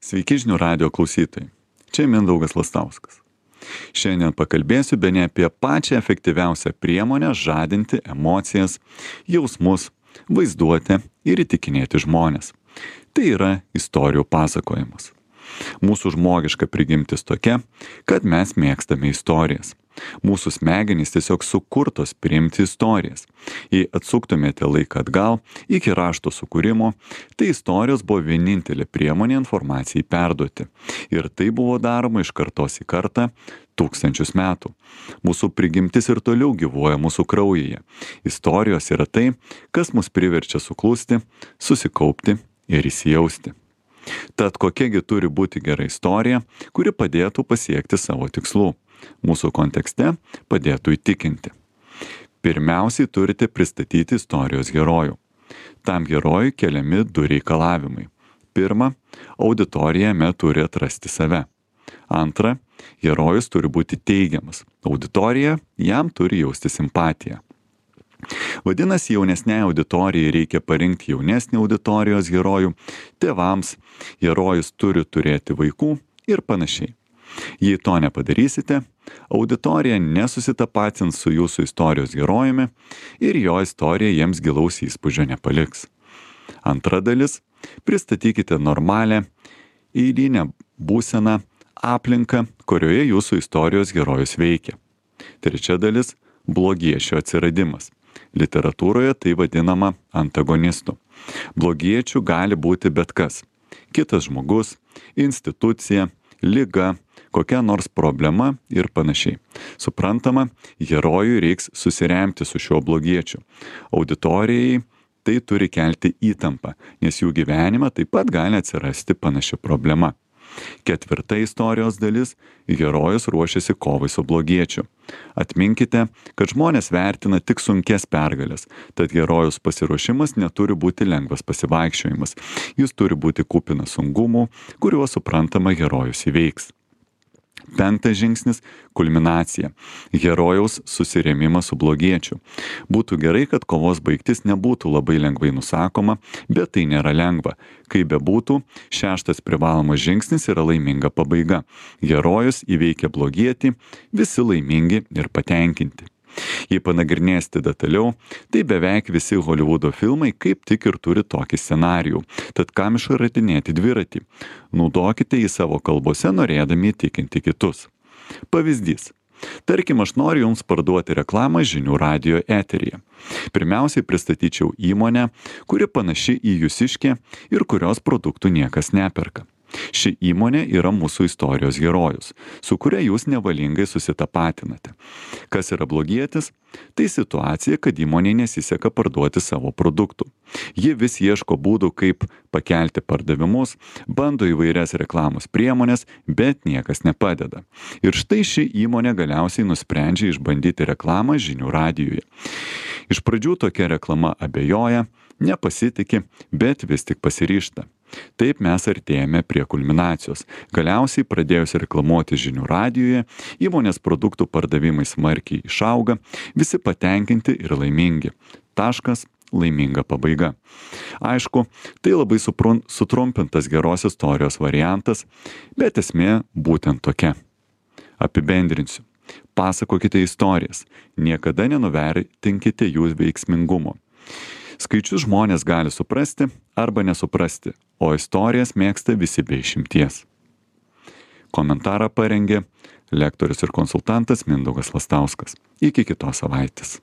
Sveiki žinių radijo klausytojai. Čia Mindaugas Lastauskas. Šiandien pakalbėsiu bene apie pačią efektyviausią priemonę žadinti emocijas, jausmus, vaizduotę ir įtikinėti žmones. Tai yra istorijų pasakojimas. Mūsų žmogiška prigimtis tokia, kad mes mėgstame istorijas. Mūsų smegenys tiesiog sukurtos priimti istorijas. Jei atsuktumėte laiką atgal iki rašto sukūrimo, tai istorijos buvo vienintelė priemonė informacijai perduoti. Ir tai buvo daroma iš kartos į kartą tūkstančius metų. Mūsų prigimtis ir toliau gyvuoja mūsų kraujyje. Istorijos yra tai, kas mus priverčia suklusti, susikaupti ir įsijausti. Tad kokiagi turi būti gera istorija, kuri padėtų pasiekti savo tikslų? Mūsų kontekste padėtų įtikinti. Pirmiausiai turite pristatyti istorijos herojų. Tam herojui keliami du reikalavimai. Pirma, auditorija jame turi atrasti save. Antra, herojus turi būti teigiamas. Auditorija jam turi jausti simpatiją. Vadinasi, jaunesniai auditorijai reikia parinkti jaunesnį auditorijos herojų, tėvams, herojus turi turėti vaikų ir panašiai. Jei to nepadarysite, auditorija nesusitapatins su jūsų istorijos herojumi ir jo istorija jiems gilaus įspūdžio nepaliks. Antra dalis – pristatykite normalią, eilinę būseną, aplinką, kurioje jūsų istorijos herojus veikia. Trečia dalis – blogiečio atsiradimas. Literatūroje tai vadinama antagonistu. Blogiečių gali būti bet kas. Kitas žmogus, institucija, liga, kokia nors problema ir panašiai. Suprantama, herojui reiks susiremti su šiuo blogiečiu. Auditorijai tai turi kelti įtampą, nes jų gyvenime taip pat gali atsirasti panaši problema. Ketvirta istorijos dalis – herojus ruošiasi kovai su blogiečiu. Atminkite, kad žmonės vertina tik sunkias pergalės, tad herojus pasiruošimas neturi būti lengvas pasivaikščiojimas. Jis turi būti kupinas sungumų, kuriuos suprantama herojus įveiks. Penktas žingsnis – kulminacija. Herojaus susirėmimas su blogiečiu. Būtų gerai, kad kovos baigtis nebūtų labai lengvai nusakoma, bet tai nėra lengva. Kaip bebūtų, šeštas privalomas žingsnis yra laiminga pabaiga. Herojus įveikia blogietį, visi laimingi ir patenkinti. Jei panagrinėsite detaliau, tai beveik visi Holivudo filmai kaip tik ir turi tokį scenarijų. Tad kam išradinėti dviratį? Naudokite jį savo kalbose, norėdami įtikinti kitus. Pavyzdys. Tarkim, aš noriu jums parduoti reklamą žinių radijo eteryje. Pirmiausiai pristatyčiau įmonę, kuri panaši į jūsiškę ir kurios produktų niekas neperka. Ši įmonė yra mūsų istorijos herojus, su kuria jūs nevalingai susitapatinate. Kas yra blogietis? Tai situacija, kad įmonė nesiseka parduoti savo produktų. Ji vis ieško būdų, kaip pakelti pardavimus, bando įvairias reklamos priemonės, bet niekas nepadeda. Ir štai ši įmonė galiausiai nusprendžia išbandyti reklamą žinių radijuje. Iš pradžių tokia reklama abejoja, nepasitiki, bet vis tik pasiryžta. Taip mes artėjame prie kulminacijos. Galiausiai pradėjus reklamuoti žinių radijuje, įmonės produktų pardavimai smarkiai išauga, visi patenkinti ir laimingi. Taškas – laiminga pabaiga. Aišku, tai labai sutrumpintas geros istorijos variantas, bet esmė būtent tokia. Apibendrinsiu. Pasakokite istorijas, niekada nenuvertinkite jų veiksmingumo. Skaičius žmonės gali suprasti arba nesuprasti, o istorijas mėgsta visi be išimties. Komentarą parengė lektorius ir konsultantas Mindaugas Lastauskas. Iki kitos savaitės.